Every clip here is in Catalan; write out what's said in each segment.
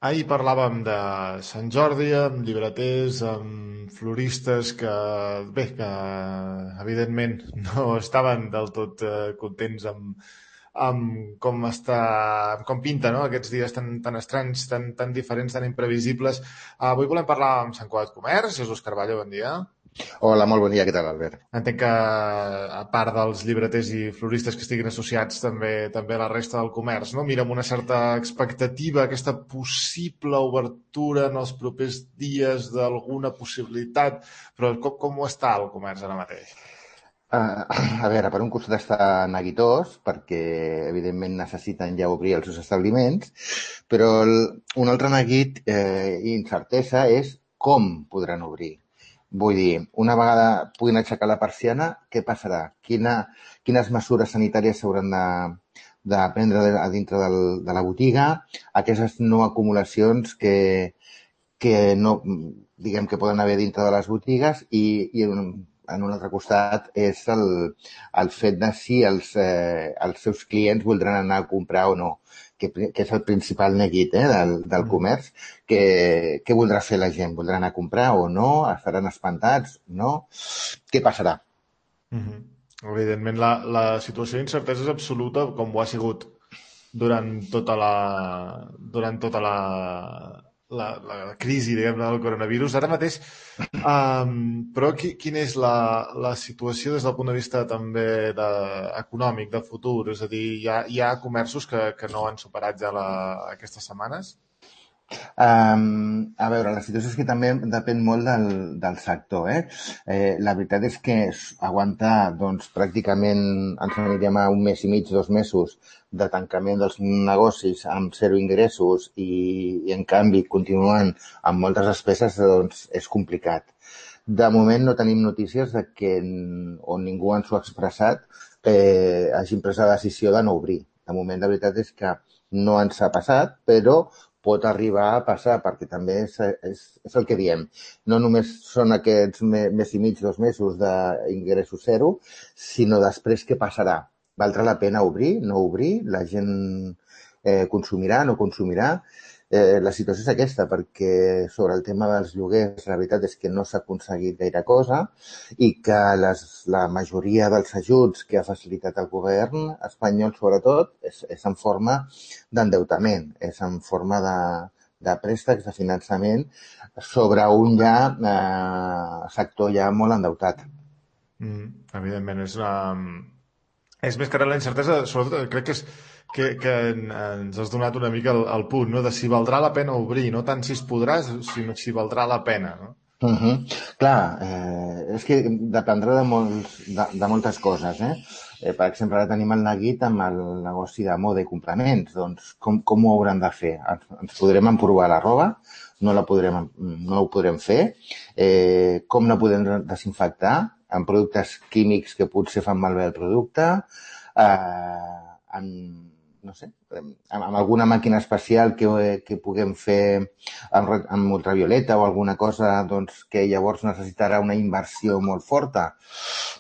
Ahir parlàvem de Sant Jordi amb llibreters, amb floristes que evidentment no estaven del tot contents amb com pinta, no? Aquests dies tan estranys, tan diferents, tan imprevisibles. Avui volem parlar amb Sant Cugat Comerç. Jesús Carballo, bon dia. Hola, molt bon dia, què tal, Albert? Entenc que, a part dels llibreters i floristes que estiguin associats, també la resta del comerç, no? Mira amb una certa expectativa aquesta possible obertura en els propers dies d'alguna possibilitat, però com ho està el comerç ara mateix? A veure, per un costat està neguitós, perquè evidentment necessiten ja obrir els seus establiments, però un altre neguit i incertesa és com podran obrir. Vull dir, una vegada puguin aixecar la persiana, què passarà? Quines mesures sanitàries s'hauran de prendre a dintre de la botiga? Aquestes no acumulacions que no, diguem que poden haver dintre de les botigues i en un altre costat és el fet de si els seus clients voldran anar a comprar o no, que és el principal neguit del comerç. Què voldrà fer la gent? Voldrà anar a comprar o no? Estaran espantats? No? Què passarà? Mhm. Evidentment, la situació d'incertesa és absoluta, com ho ha sigut durant tota la crisi, diguem-ne, del coronavirus. Ara mateix, però quina és la situació des del punt de vista també econòmic, de futur? És a dir, hi ha comerços que no han superat ja aquestes setmanes? A veure, la situació és que també depèn molt del sector, la veritat és que aguantar, doncs, pràcticament ens anirem a un mes i mig, 2 mesos de tancament dels negocis amb zero ingressos i en canvi continuant amb moltes despeses, doncs, és complicat. De moment no tenim notícies de que, on ningú ens ho ha expressat, hagin pres la decisió de no obrir. De moment, la veritat és que no ens ha passat, però pot arribar a passar, perquè també és el que diem. No només són aquests mes i mig, 2 mesos d'ingressos zero, sinó després què passarà. Valdrà la pena obrir, no obrir? La gent consumirà, no consumirà? La situació és aquesta, perquè sobre el tema dels lloguers la veritat és que no s'ha aconseguit gaire cosa i que la majoria dels ajuts que ha facilitat el govern espanyol, sobretot, és en forma d'endeutament, és en forma de préstecs, de finançament, sobre un sector ja molt endeutat. Evidentment, és més que res la incertesa, sobretot crec que ens has donat una mica el punt, no? De si valdrà la pena obrir, no tant si es podrà, sinó si valdrà la pena, no? Clar, és que dependrà de moltes coses, per exemple, ara tenim el neguit amb el negoci de moda i complements. Doncs com ho hauran de fer? Ens podrem emprovar la roba? No ho podrem fer? Com la podem desinfectar? Amb productes químics que potser fan malbé el producte? No sé, amb alguna màquina especial que puguem fer amb ultravioleta o alguna cosa, doncs, que llavors necessitarà una inversió molt forta.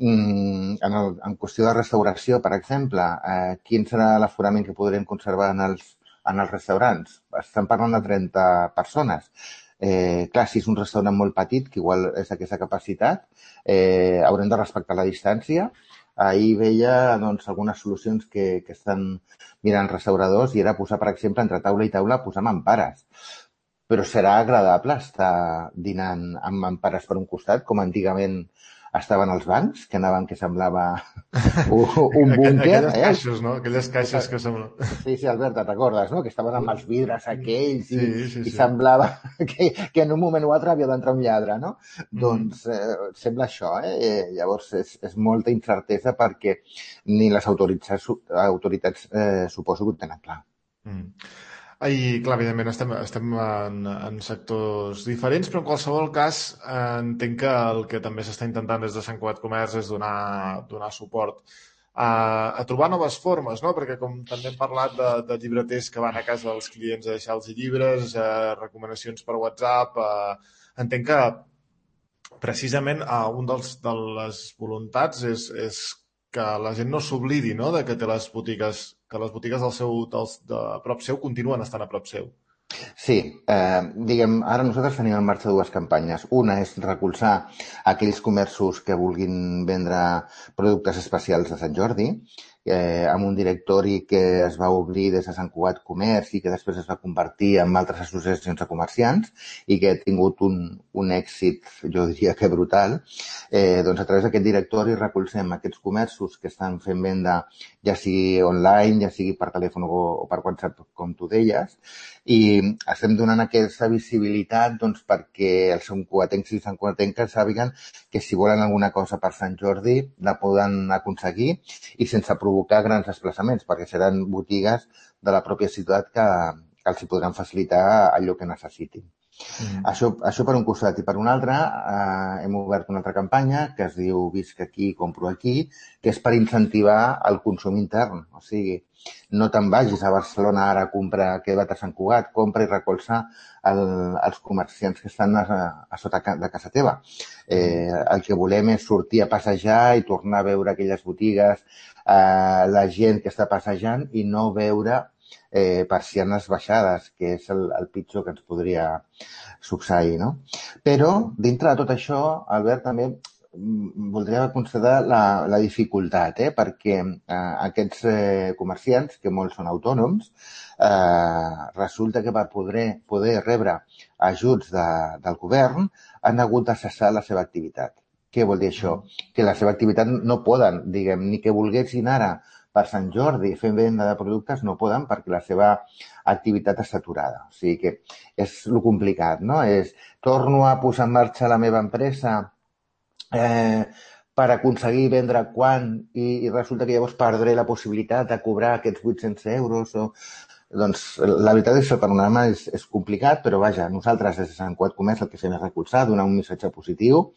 En qüestió de restauració, per exemple, quin serà l'aforament que podrem conservar en els restaurants? Estem parlant de 30 persones. Clar, si és un restaurant molt petit, que igual és aquesta capacitat, haurem de respectar la distància. Ahir veia, doncs, algunes solucions que estan mirant restauradors i era posar, per exemple, entre taula i taula, posar mampares. Però serà agradable estar dinant amb mampares per un costat, com antigament estaven els bancs, que anaven que semblava un búnquer. Aquelles caixes, no? Aquelles caixes que semblen... Sí, Albert, te'n recordes, no? Que estaven amb els vidres aquells Sí. i semblava que en un moment o altre havia d'entrar un lladre, no? Doncs sembla això, Llavors és molta incertesa perquè ni les autoritats suposo que ho tenen clar. I, clar, evidentment estem en sectors diferents, però en qualsevol cas entenc que el que també s'està intentant des de Sant Cugat Comerç és donar suport a trobar noves formes, no? Perquè com també hem parlat de llibreters que van a casa dels clients a deixar els llibres, recomanacions per WhatsApp, entenc que precisament de les voluntats és que la gent no s'oblidi, no? De que té les botigues, que les botigues de prop seu continuen estant a prop seu. Sí, diguem, ara nosaltres tenim en marxa dues campanyes. Una és recolzar aquells comerços que vulguin vendre productes especials de Sant Jordi, amb un directori que es va obrir des de Sant Cugat Comerç i que després es va convertir en altres associacions de comerciants i que ha tingut un èxit, jo diria que brutal. Doncs a través d'aquest directori recolzem aquests comerços que estan fent venda ja sigui online, ja sigui per telèfon o per WhatsApp, com tu deies, i estem donant aquesta visibilitat doncs, perquè els santcugatencs i santcugatenques sàpiguen que si volen alguna cosa per Sant Jordi la poden aconseguir i sense provocar grans desplaçaments, perquè seran botigues de la pròpia ciutat que els hi podran facilitar allò que necessitin. Mm. Això per un costat. I per un altre, hem obert una altra campanya que es diu Visc aquí, compro aquí, que és per incentivar el consum intern. O sigui, no te'n vagis a Barcelona ara a comprar, queda't a Sant Cugat, compra i recolza els comerciants que estan a sota de casa teva. El que volem és sortir a passejar i tornar a veure aquelles botigues, la gent que està passejant i no veure persianes baixades, que és el pitjor que ens podria succeir, no? Però, dintre de tot això, Albert, també voldria considerar la dificultat, perquè aquests comerciants, que molts són autònoms, resulta que per poder rebre ajuts del govern han hagut de cessar la seva activitat. Què vol dir això? Que la seva activitat no poden, diguem, ni que volguessin ara per Sant Jordi fent venda de productes no poden perquè la seva activitat està aturada. O sigui que és lo complicat, no? Torno a posar en marxa la meva empresa per aconseguir vendre quan i resulta que llavors perdré la possibilitat de cobrar aquests 800 euros o... Doncs la veritat és que el panorama és complicat, però vaja, nosaltres des de Sant Cugat Comerç el que fem és recolzar, donar un missatge positiu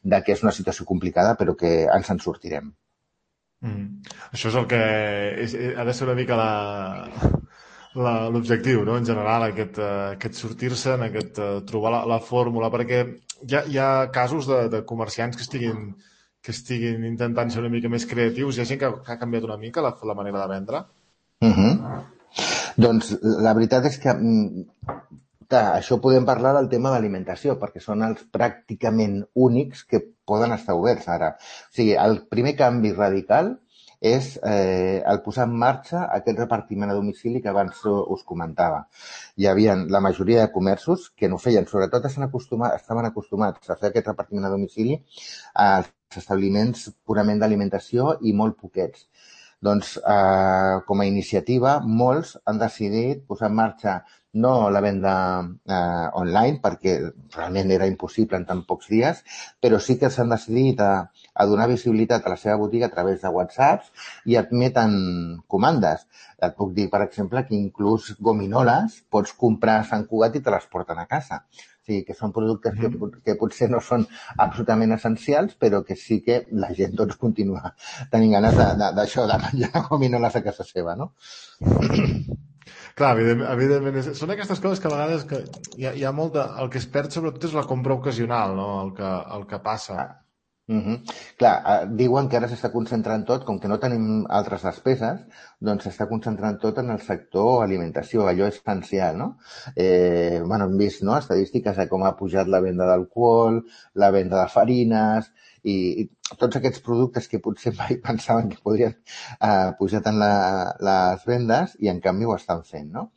de que és una situació complicada però que ens en sortirem. Això és el que ha de ser una mica l'objectiu, no? En general, aquest sortir-se'n, aquest trobar la fórmula, perquè hi ha casos de comerciants que estiguin intentant ser una mica més creatius. Hi ha gent que ha canviat una mica la manera de vendre. Doncs la veritat és que clar, això podem parlar del tema d'alimentació, perquè són els pràcticament únics que poden estar oberts ara. O sigui, el primer canvi radical és el posar en marxa aquest repartiment a domicili que abans us comentava. Hi havia la majoria de comerços que no feien, sobretot estaven acostumats a fer aquest repartiment a domicili als establiments purament d'alimentació i molt poquets. Doncs, com a iniciativa, molts han decidit posar en marxa no la venda online, perquè realment era impossible en tan pocs dies, però sí que s'han decidit a donar visibilitat a la seva botiga a través de WhatsApps i admeten comandes. Et puc dir, per exemple, que inclús gominoles pots comprar a Sant Cugat i te les porten a casa. O sigui, que són productes que potser no són absolutament essencials, però que sí que la gent doncs, continua tenint ganes d'això, de menjar gominoles a casa seva, no? Clar, evidentment són aquestes coses que a vegades hi ha molta... El que es perd sobretot és la compra ocasional, no? El que passa. Clar, diuen que ara s'està concentrant tot, com que no tenim altres despeses, doncs s'està concentrant tot en el sector alimentació, allò essencial, no? Bueno, hem vist, no?, estadístiques de com ha pujat la venda d'alcohol, la venda de farines i tots aquests productes que potser mai pensaven que podrien pujar tant les vendes i en canvi ho estan fent, no?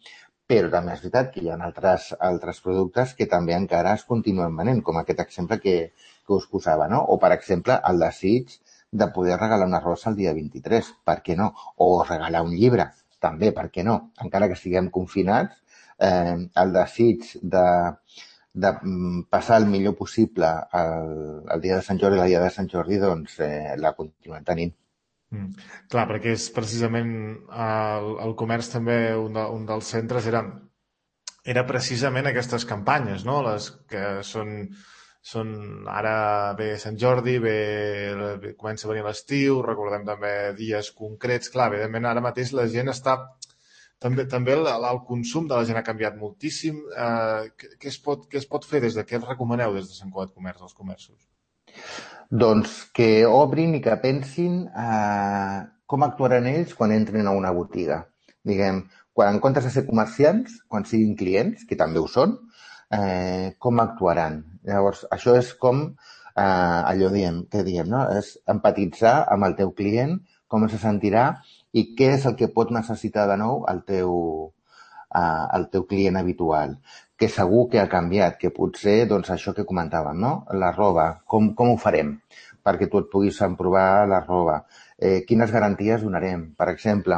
Però també és veritat que hi ha altres productes que també encara es continuen venent, com aquest exemple que us posava, no? O, per exemple, el desig de poder regalar una rosa el dia 23, per què no? O regalar un llibre, també, per què no? Encara que estiguem confinats, el desig de passar el millor possible el dia de Sant Jordi i la dia de Sant Jordi, doncs la continuem tenint. Clar, perquè és precisament el comerç també, un dels centres era precisament aquestes campanyes, no? Les que són ara ve Sant Jordi, comença a venir l'estiu, recordem també dies concrets. Clar, evidentment ara mateix la gent està... També el consum de la gent ha canviat moltíssim. Què es pot fer què els recomaneu des de Sant Cugat Comerç als comerços? Doncs que obrin i que pensin com actuaran ells quan entrin a una botiga. Diguem, quan en comptes de ser comerciants, quan siguin clients, que també ho són, com actuaran? Llavors, això és com allò que diem, no? És empatitzar amb el teu client, com se sentirà i què és el que pot necessitar de nou el teu client habitual, que segur que ha canviat, que potser, doncs, això que comentàvem, no? La roba, com ho farem perquè tu et puguis emprovar la roba? Quines garanties donarem? Per exemple,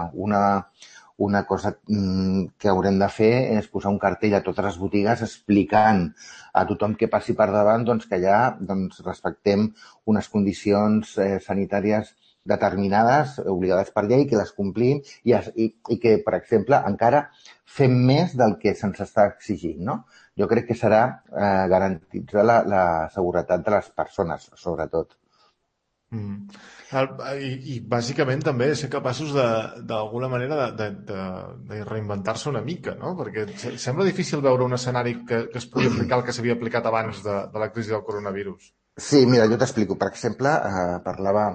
una cosa que haurem de fer és posar un cartell a totes les botigues explicant a tothom que passi per davant doncs, que allà doncs, respectem unes condicions sanitàries determinades, obligades per llei, que les complim i que, per exemple, encara fem més del que se'ns està exigint, no? Jo crec que serà garantitzar la seguretat de les persones, sobretot. I bàsicament també ser capaços d'alguna manera de reinventar-se una mica, no? Perquè sembla difícil veure un escenari que es pugui aplicar el que s'havia aplicat abans de la crisi del coronavirus. Sí, mira, jo t'explico. Per exemple, parlava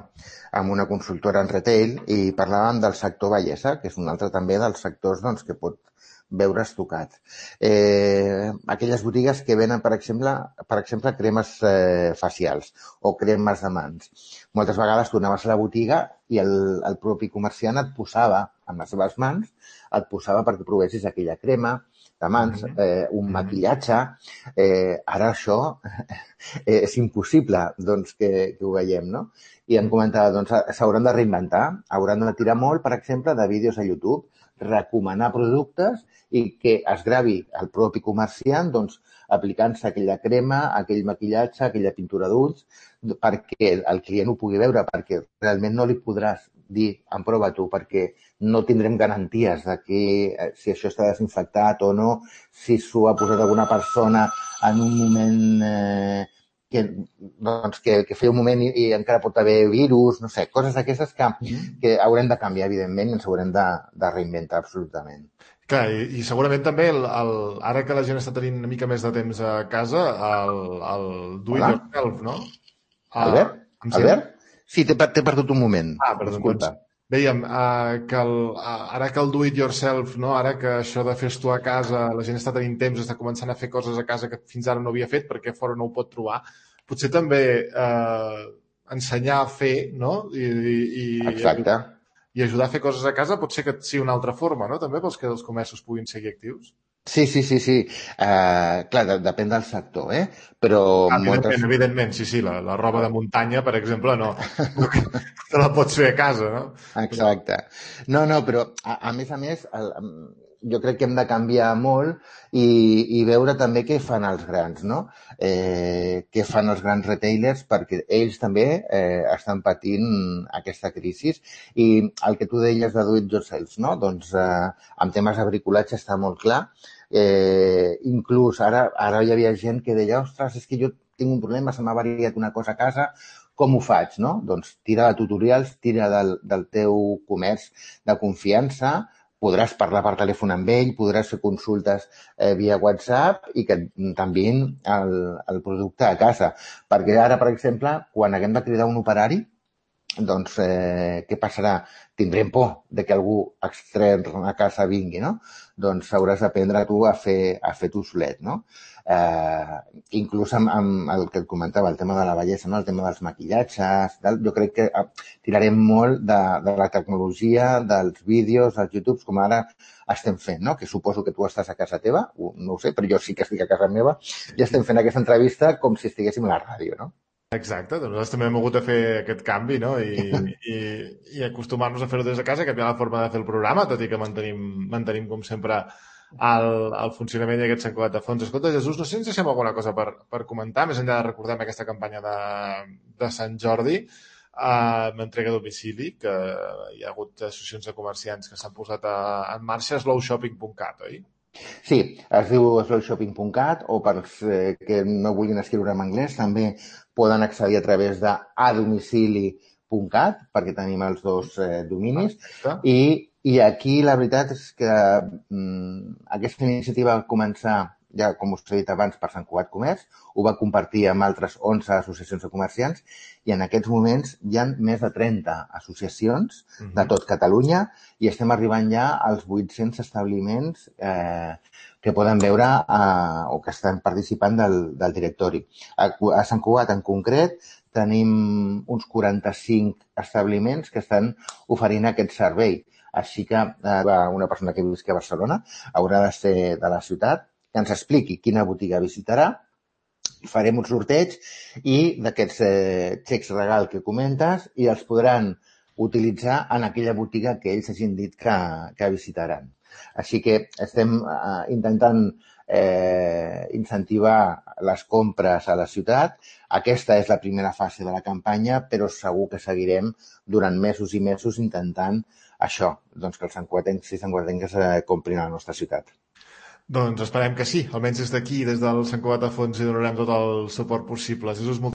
amb una consultora en retail i parlàvem del sector bellesa, que és un altre també dels sectors doncs, que pot veure's tocat. Aquelles botigues que venen, per exemple cremes facials o cremes de mans. Moltes vegades tu anaves a la botiga i el propi comerciant et posava, amb les seves mans, et posava perquè provessis aquella crema de mans, un maquillatge. Ara això és impossible doncs, que ho veiem, no? I em comentava, doncs, s'hauran de reinventar, hauran de tirar molt, per exemple, de vídeos a YouTube, recomanar productes i que es gravi el propi comerciant doncs, aplicant-se aquella crema, aquell maquillatge, aquella pintura d'ulls, perquè el client ho pugui veure, perquè realment no li podràs dir, emprova tu, perquè no tindrem garanties de que si això està desinfectat o no, si s'ho ha posat alguna persona en un moment que feia un moment i encara pot haver virus, no sé, coses d'aquestes que haurem de canviar, evidentment, i ens haurem de reinventar absolutament. Clar, i segurament també, ara que la gent està tenint una mica més de temps a casa, el do it yourself, no? Albert? Albert? Sí, t'he perdut un moment. Perdó, disculpa. doncs dèiem que ara que el do it yourself, no? Ara que això de fer-ho a casa, la gent està tenint temps, està començant a fer coses a casa que fins ara no havia fet perquè fora no ho pot trobar, potser també ensenyar a fer, no? Exacte. I ajudar a fer coses a casa pot ser que sigui una altra forma, no? També pels que els comerços puguin seguir actius. Sí. Clar, depèn del sector, Però evidentment, sí, la roba de muntanya, per exemple, no te la pots fer a casa, no? Exacte. No, però a més, jo crec que hem de canviar molt i veure també què fan els grans, no? Què fan els grans retailers, perquè ells també estan patint aquesta crisi. I el que tu deies de do it yourself, no? Doncs en temes de bricolatge està molt clar. Inclús ara hi havia gent que deia, ostres, és que jo tinc un problema, se m'ha variat una cosa a casa, com ho faig, no? Doncs tira de tutorials, tira del teu comerç de confiança, podràs parlar per telèfon amb ell, podràs fer consultes via WhatsApp i que t'enviïn el producte a casa. Perquè ara, per exemple, quan haguem de cridar un operari, doncs què passarà? Tindrem por de que algú extern a casa vingui, no? Doncs hauràs d'aprendre tu a fer tu solet, no? Inclús amb el que et comentava, el tema de la bellesa, no? El tema dels maquillatges, jo crec que tirarem molt de la tecnologia, dels vídeos, dels YouTubes, com ara estem fent, no? Que suposo que tu estàs a casa teva, no ho sé, però jo sí que estic a casa meva, i estem fent aquesta entrevista com si estiguéssim a la ràdio, no? Exacte, doncs nosaltres també hem hagut de fer aquest canvi, no? I acostumar-nos a fer-ho des de casa, canviar la forma de fer el programa, tot i que mantenim com sempre el funcionament i aquest sencolat de fons. Escolta, Jesús, no sé si ens deixem alguna cosa per comentar, més enllà de recordar aquesta campanya de Sant Jordi, amb entrega a domicili, que hi ha hagut associacions de comerciants que s'han posat en marxa, slowshopping.cat, oi? Sí, es diu slowshopping.cat, o per als que no vulguin escriure en anglès també poden accedir a través de adomicili.cat, perquè tenim els dos dominis. I aquí la veritat és que aquesta iniciativa va començar ja com us he dit abans, per Sant Cugat Comerç, ho va compartir amb altres 11 associacions de comerciants i en aquests moments hi ha més de 30 associacions de tot Catalunya i estem arribant ja als 800 establiments que poden veure o que estan participant del directori. A Sant Cugat, en concret, tenim uns 45 establiments que estan oferint aquest servei. Així que una persona que visqui a Barcelona haurà de ser de la ciutat, que ens expliqui quina botiga visitarà, farem un sorteig i d'aquests xecs regal que comentes i els podran utilitzar en aquella botiga que ells hagin dit que visitaran. Així que estem intentant incentivar les compres a la ciutat. Aquesta és la primera fase de la campanya, però segur que seguirem durant mesos i mesos intentant això, doncs que els santcugatencs i santcugatenques comprin a la nostra ciutat. Doncs esperem que sí, almenys des d'aquí, des del Sant Cugat a Fons, hi donarem tot el suport possible. Jesús,